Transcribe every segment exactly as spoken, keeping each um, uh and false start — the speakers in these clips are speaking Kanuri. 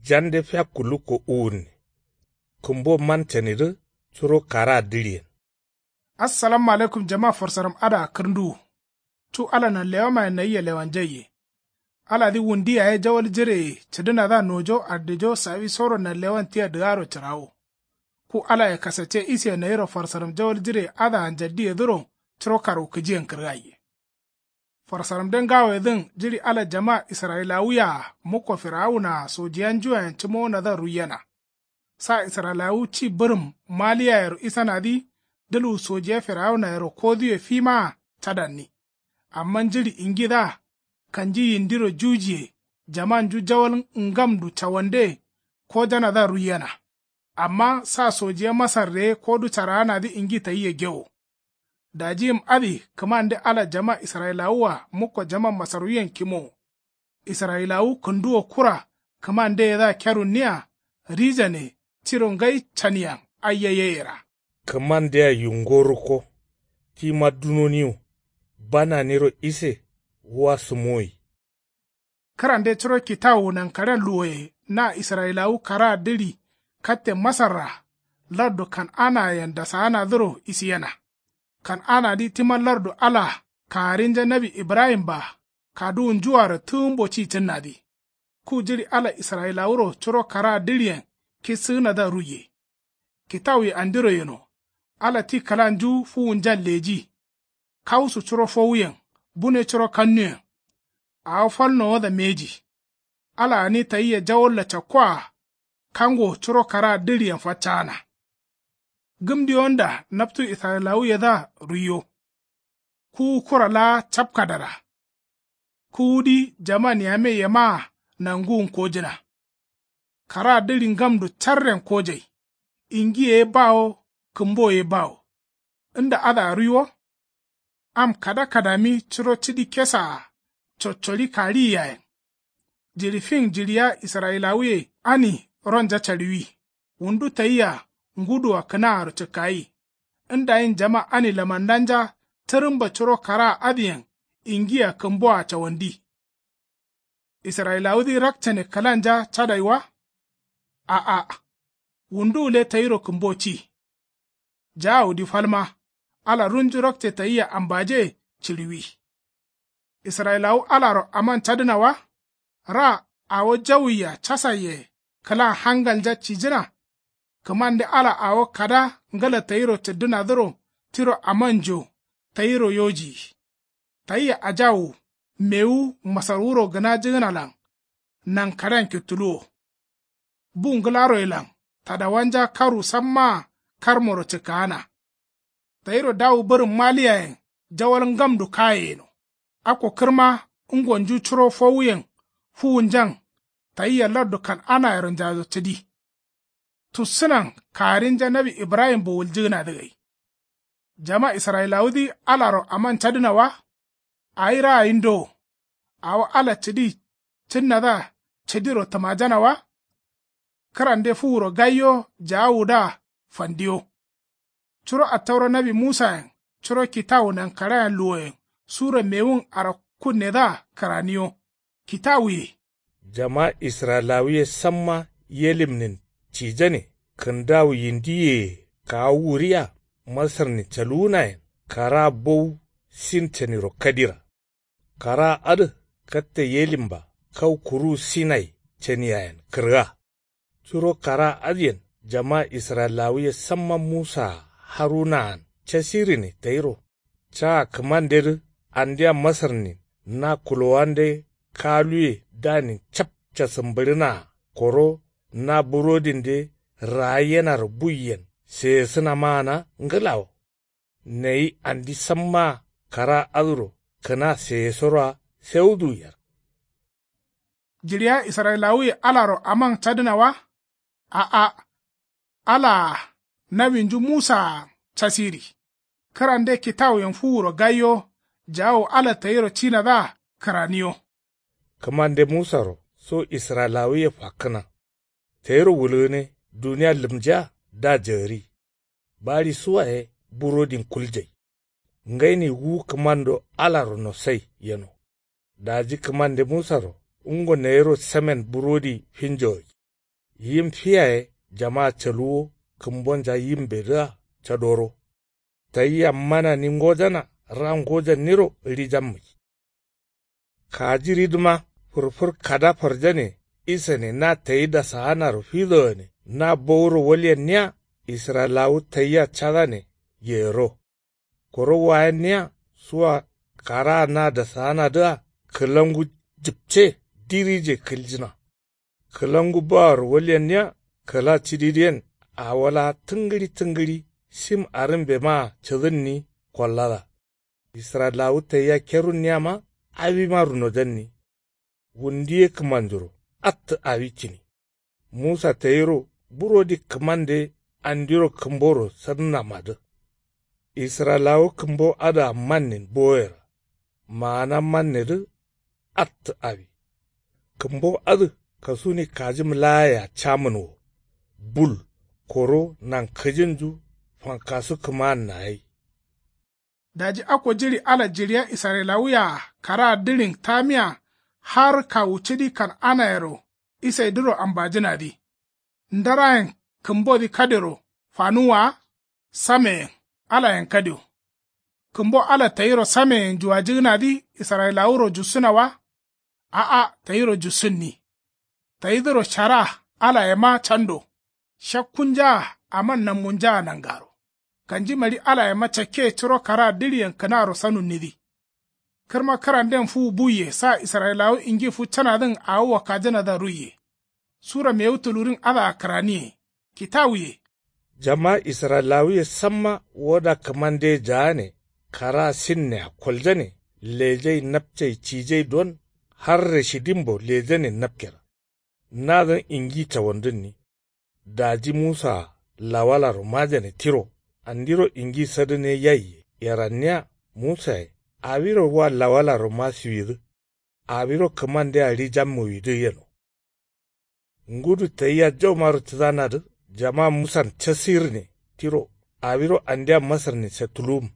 Jande fiakku lukko uwunne. Kǝmbo man canidǝ curo karaa dǝɍiyen. Assalamu alaikum jama farsaram adǝa kǝrnduwu. Cu ala nanlewamayen nayia lewanjaiye. Aladǝ wundi yaye jawal jireye cǝdǝnadǝa nojo addijo sawisoro nanlewan tia dǝgaro cǝrawo. Ku alaye kasacce isiye nayiro farsaram jawal jireye adǝa njaddiyedǝro curo karwukǝjiyen kǝrgaiye. Farsaramde ngawoyedǝn jiɍi ala jama israyilawuye-a mukko firawuna-a sojiyanjuwayen cǝmowonadǝa ruiyena. Sa israyilawu ci bǝrǝm maliyayero isanadǝ dǝlwu sojiya firawunayero koduwe fimaa cadanni. Amma jiɍi ingidǝa kanji yindiro jujiye jamanju jawal ngamdu cawande kojanadǝa ruiyena. Amma sa sojiya masarre kodu caraanadǝ ingi tayia gewo. Daji yim adǝ kǝmande ala jama israyilawu-a mukko jama masarwuyen kimowo. Israyilawu kǝnduwo kura kǝmandeyedǝa kerunniya rijane tiro ngai caniyan aiya yeyera. Kǝmandea yungo rukko tima dunoniwo bananiro ise wa sǝmoyi. Kǝrande curo kitawu nankaɍen luwoye na israyilawu karaa dǝɍi katte masarra lardu kan'anayen dasaanadǝro isiyena. Kan'anadǝ tima lardu ala kagarinja nawi ibrahim-a kaduwunjuaro tǝgǝmbo ci cǝnnadǝ. Ku jiɍi ala israyilawuro curo karaa dǝɍiyen kissǝgǝnadǝa ruiye. Kitawuye andiro yeno. Ala ti kǝlanju fuwunjan leji. Kausu curo fowuyen bune curo kannuyen. Awo fal nowodǝa mbeji. Ala gǝni tayia jawalla cakkoa kango curo karaa dǝɍiyen faccaana. Gǝmdiwonda naptu israyilawuyedǝa ruiyo. Kuwu kura laa capkadara. Kuwudǝ jaman yame yemaa nanguwun kojǝna. Karaa dǝɍi ngamdu carren kojai. Ingiye ye bawo kǝmboye ye bawo. Nda adǝa ruiwo. Am kada kadami curo cidi kesa-a coccoɍi kaɍiyi yayen. Jiɍi fin jiɍiya israyilawuye ani ronja caɍiwi. Wundu tayia ngudua kǝnaaro cǝkkayi. Ndayin jama ani lamandanja tǝrǝmba curo karaa adǝyen ingia kǝmboa cawandi. Israyilawudǝ rakcane kǝlanja cadai wa. A'a. Wundu gǝle tayiro kǝmbo ci. Jaawudǝ falma ala runju rakce tayia ambaje ciɍiwi. Israyilawu alaro aman cadǝna wa. Ra awo jawuyia casaiye kǝlan hangalnja cijǝna. Kǝmande ala awo kada ngǝla tayiro cǝddǝnadǝro tiro amanjo tayiro yojiyi. Tayia ajawu mewu masarwuro gǝnajǝgǝnalan nankaɍen kittuluwo. Bu ngǝlaroyelan tadawanja karwu sammaa karmoro cǝkkaana. Tayiro dawu bǝrǝm maliyayen jawal ngamdu kaye yeno. Akko kǝrma ngonju curo fowuyen fuwunjan tayia lardu kan'anayero njajo cǝdi. Tussǝnan kagarinja nawi ibrahim-bo wuljǝgǝnadǝ gai. Jama israyilawudǝ alaro aman cadǝna wa. Awi raayin dowo. Awo ala cǝdi cǝnnadǝa cǝdiro tǝmajana wa. Kǝrande fuwuro gaiyo jaawudǝa fandiyo. Curo attaura nawi musayen curo kitawu nankaɍayen luwoyen sura mewun arakkunnedǝa kǝraniyo. Kitawuye. Jama israyilawuye samma yelimnin cijane kǝndawu yindiyeye kawu wuriya masarnin caluwunayen karaa bowu sin caniro kadira. Karaa adǝ katte yelimba kau kuruwu sinai caniyayen kǝrga. Curo karaa adǝyen jama israyilawuye samma musaa harunaan casirine tayiro. Caa kǝmandedǝ andia masarnin na kulowande kaluwe danin cap casǝmbǝɍǝnaa koro na burodinde raayenaro buiyen seyesǝnamaana ngǝlawo. Nayi andi sammaa karaa adǝro kǝna seyesoroa sewuduwu yer. Jiɍiya israyilawuye alaro aman cadǝna wa. A'a. Alaa nawinju musaa casiri. Kǝrande kitawuyen fuwuro gaiyo jawo ala tayiro cinadǝa kǝraniyo. Kǝmande musaro so israyilawuye fakkǝna. Tayiro wulgǝne duniya lǝmjiya da jagǝri. Baɍi suwaye burodin kuljai. Ngaini wu kǝmando alaro nosai yeno. Daji kǝmande musaro ngo nayiro samen burodi finjogai. Yim fiyaye jamaa caluwo kǝmbonja yimbedǝa cadoro. Tayia manani ngojana ra ngojanniro ɍijammi. Kajiridǝma fǝrfǝr kada farjane isane na tayi dasaanaro fidogane na bowuro walyenniya. Israyilawu tayia cadane yero. Koro wayenniya suwa karaa na dasaanadǝa kǝlangu jǝpce dirije kǝljǝna. Kǝlangu baworo walyenniya kǝla cididǝyen awo laa tǝngǝɍi tǝngǝɍi shim arǝmbemaa cǝdǝnni kollada. Israyilawu tayia kerunniyama awima runojanni. Wundu ye kǝmanjuro attǝ awi cǝni. Musa tayiro burodi kǝmande andiro kǝmboro sadǝnamadǝ. Israyilawu kǝmbo adǝa mannen boyera. Maana mannedǝ attǝ awi. Kǝmbo adǝ kasuni kajim laayea camǝn wo. Bul koro nankǝjinju fankasu kǝmaanna gai. Daji akko jiɍi ala jiɍiya israyilawuyea karaa diɍin tamiya har kawu cidi kan'anayero isaidǝro ambajǝnadǝ. Ndarayen kǝmbodǝ kadero fanuwwa wa. Sameyen alayen kadio. Kǝmbo ala tayiro sameyen juwajǝgǝnadǝ israyilawuro jussǝna wa. A'a tayiro jussunni. Tayidǝro shara alayema cando. Shakkunjaa aman nammunjaa nangaro. Kanjimari alayema cakke curo karaa diɍiyen kǝnaro sanunnidǝ. Kǝrma kǝranden fuwu buiye sa israyilawu ingi fuccanadǝn awo wakkajǝnadǝa ruiye. Sura mewu tulurin adǝa kǝraniye. Kitawuye. Jama israyilawuye samma woda kǝmandeye jaane karaa sinnea koljane lejai napcai cijai don har rashidimbo lejane napkera. Nadǝn ingi cawandǝnni. Daji musaa lawalaro majane tiro andiro ingi sadǝne yaiye yeranniya. Musaye awiro wa lawalaro masiwidǝ. Awiro kǝmandea ɍijammuwidǝ yeno. Ngudu tayia jaumaro cǝdanadǝ jama musan casirne tiro awiro andia masarnin setuluwum.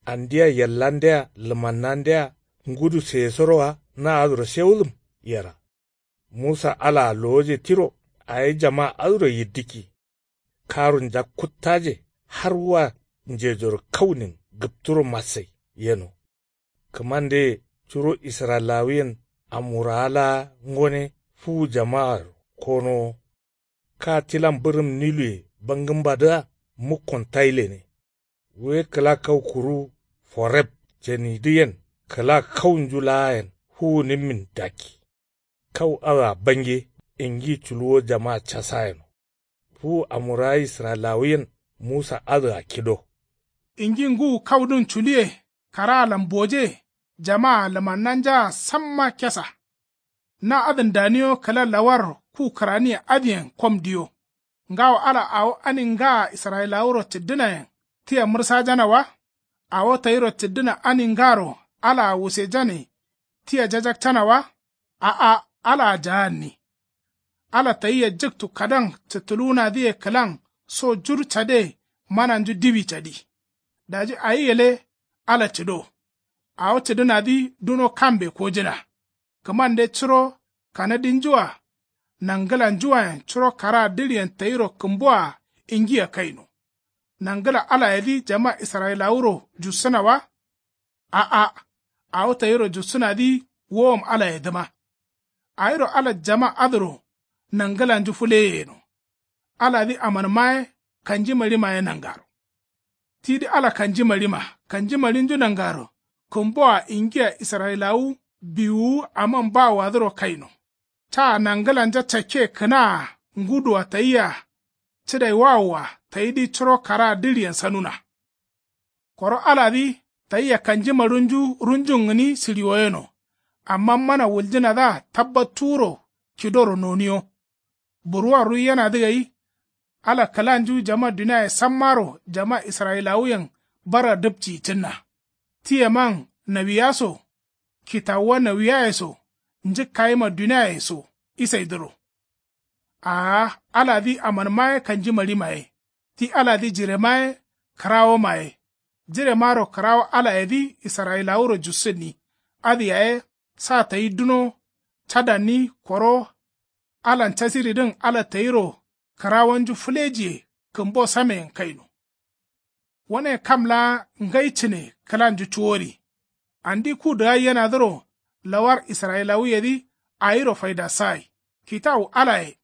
Andia yallandea lǝmannandea ngudu seyesoro wa na adǝro sewudǝm yera. Musa alaa lowoje tiro awi jama adǝro yiddǝkki. Karunja kuttaje har wa njejoro kaunin gǝpturo massai yeno. Kǝmandeye curo israyilawuyen amuraa laa ngone fuwu jamaaro konowo. Ka tilan bǝrǝm niluye bangǝmbadǝa mukkon tailene. Wuye kǝla kau kuru foreb cenidǝyen kǝla kaunju laayen fuwunimmin dakki. Kau adǝa bange ingi culuwo jama casayeno. Fuwu amuraa israyilawuyen musa adǝa kido. Ingi ngǝwu kaudǝn culiye karaalan boje jamaa lǝmannanjaa samma kesa. Na adǝn daniyo kǝla lawar ku kǝraniye adǝyen kom diyo. Ngawo ala awo ani ngaa israyilawuro cǝddǝnayen tia mǝrsajana wa. Awo tayiro cǝddǝna ani ngaro alaa wusejane tia jajakcana wa. A'a alaa jaanni. Ala tayia jǝktu kadan cǝttuluwunadǝye kǝlan so jur cade mananju diwi cadi. Daji awi gǝle ala cǝdo. Awo cǝdǝnadǝ duno kambe kojǝna. Kǝmande curo kanadinjua nangǝlanjuayen curo karaa diɍiyen tayiro kǝmboa ingia kaino. Nangǝla alayedǝ jama israyilawuro jussǝna wa. A'a awo tayiro jussǝnadǝ wowom alayedǝma. Awiro ala jama adǝro nangǝlanju fǝleye yeno. Aladǝ amanma ye kanjima ɍima ye nangaro. Tidǝ ala kanjima ɍima kanjima ɍinju nangaro kǝmboa ingia israyilawu biwuwu aman bawoadǝro kaino. Caa nangǝlanja cakke kǝnaa ngudua tayia cǝdaiwawoa tayidǝ curo karaa diɍiyen sanuna. Koro aladǝ tayia kanjima ɍunju ɍunjun gǝni sǝɍiwo yeno. Amma mana wuljǝnadǝa tabbattuwuro kidoro noniyo. Burwua ruiyenadǝ gai. Ala kǝlanju jama duniaye sammaro jama israyilawuyen bara dǝpciyi cǝnna. Tiyeman nawiya so kitawuwa nawiyaye so njǝkkayima duniaye so isaidǝro. Aa aladǝ amanma ye kanjima ɍima ye. Ti aladǝ jirema ye kǝrawoma ye. Jiremaro kǝrawo alayedǝ israyilawuro jussǝnni. Adǝ yaye sa tayi duno cadanni koro Alan casiridǝn ala tayiro kǝrawonju fǝlejiye kǝmbo sameyen kaino. Wane kam laa ngai cǝne kǝlanju cuwori. Andi ku dǝgaiyenadǝro lawar israyilawuyedǝ awiro faidasagai. Kitawu alaye.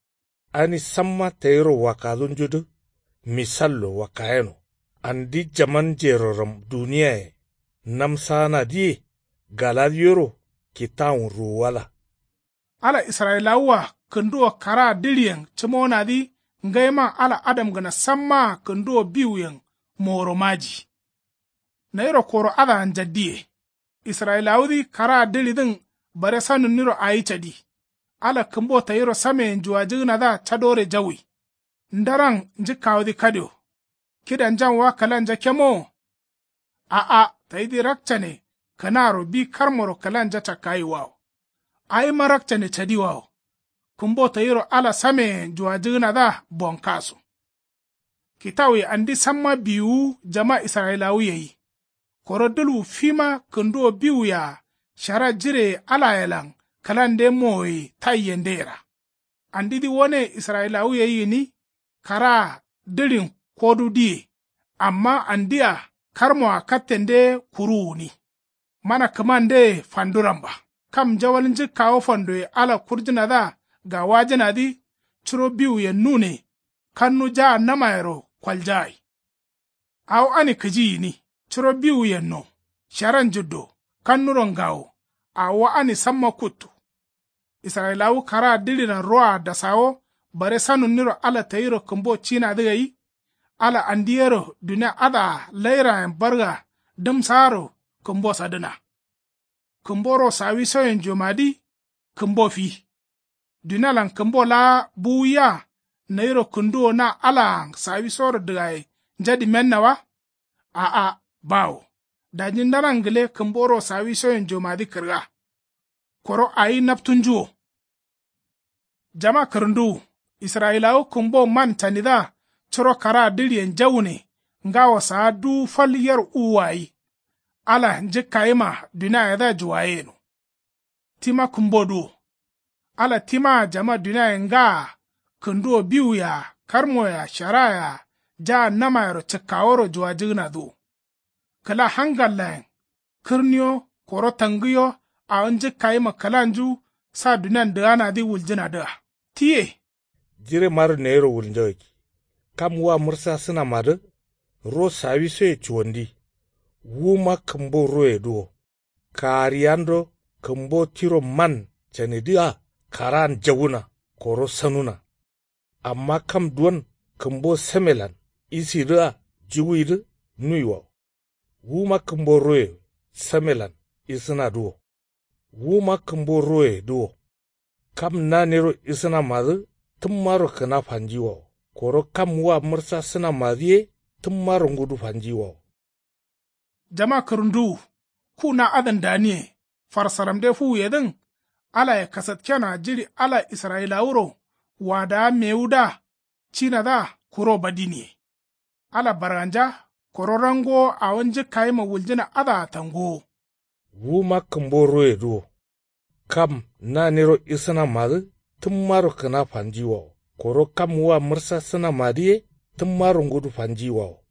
Ani samma tayiro wakkadunjudǝ misallo wakkayeno. Andi jaman jeroram duniyaye namsaanadǝye galadiyoro kitawun ruwuwada. Ala israyilawua kǝnduwo karaa dǝɍiyen cǝmowonadǝ ngaiman ala adamgǝna sammaa kǝnduwo biwuyen moworo maji. Nayiro koro adǝa njaddiye. Israyilawudǝ karaa dǝɍidǝn bare sanunniro awi cadi. Ala kǝmbo tayiro sameyen juwajǝgǝnadǝa cadore jawwi. Ndaran njǝkkawodǝ kadio. Kidanjan wa kǝlanja kemowo? A'a, tayidǝ rakcane kǝnaro bi karmoro kǝlanja cakkayiwawo. Awima rakcane cadiwawo. Kǝmbo tayiro ala sameyen juwajǝgǝnadǝa bonkaso. Kitawuye andi samma biwuwu jama israyilawu yeyi. Koro dǝlwu fima kǝnduwo biwuyea shara jireye alayelan kǝlande mowoye taiyende yera. Andidǝ wane israyilawu yeyi gǝni karaa dǝɍin kodudǝye. Amma andia karmoa kattende ye kuruwu gǝni. Mana kǝmandeye fanduramba. Kam njawal njǝkkawo fandoye ala kurjǝnadǝa gawajǝnadǝ curo biwuyen nune. Kannu jaannamayero koljagai. Awo ani kǝji gǝni curo biwuyenno. Sharan njǝddo kannuro ngawo. Awo wa ani samma kuttu. Israyilawu karaa dǝɍilan roa dasawo bare sanunniro ala tayiro kǝmbo cinadǝ gai. Ala andi yero dunia adǝa lairayen barga dǝmsaaro kǝmbo sadǝna. Kǝmbo ro sawisoyenjomadǝ kǝmbo fi. Dunialan kǝmbo laa buwuiya nayiro kǝnduwo na alaan sawisoro dǝgaye njadǝmenna wa? A'a, bawo. Daji ndaran gǝle kǝmbo ro sawisoyenjomadǝ kǝrga. Koro awi naptunjuwo. Jama kǝrǝnduwu. Israyilawu kǝmbo man canidǝa curo karaa dǝɍiyen jawune. Ngawo saa duwu fal yer uwuwa gai. Ala njǝkkayima duniayedǝa juwaye yeno. Tima kǝmbodǝ wo. Ala timaa jama duniaye ngaa kǝnduwo biwuyea karmoyea sharayea jaannamayero cǝkkaworo juwajǝgǝnadǝ wo. Kǝla hangallayen kǝrniyo koro tangǝyo awo njǝkkayima kǝlanju sa dunian dǝganadǝ wuljǝnadǝa. Tiye. Jiremaro neyiro wulnjagakki. Kam wua mǝrsasǝnamadǝ ro sawisoye cuwandi. Wuma kǝmbo royedǝ wo. Kaariyando kǝmbo tiro man canidǝa karaan jawuna koro sanuna. Amma kam duwon kǝmbo samelan isidǝa juwuidǝ nuiwawo. Wuma kǝmbo roye samelan isǝnadǝ wo. Wuma kǝmbo royedǝ wo. Kam nanero isǝnamadǝ tǝmmaro kǝna fanjiwawo. Koro kam wua mǝrsasǝnamadǝ ye tǝmmaro ngudu fanjiwawo. Jama kǝrǝnduwu. Ku na adǝn daniye. Farsaramde fuwuyedǝn. Alaye kasatkenoa jiɍi ala israyilawuro wadawa mewudǝa cinadǝa kuro badiniye. Ala barganja koro rangowo awo njǝkkayima wuljǝna adǝa tangowo. Wuma kǝmbo royedǝ wo. Kam nanero isǝnamadǝ tǝmmaro kǝna fanjiwawo. Koro kam wua mǝrsasǝnamadǝ ye tǝmmaro ngudu fanjiwawo.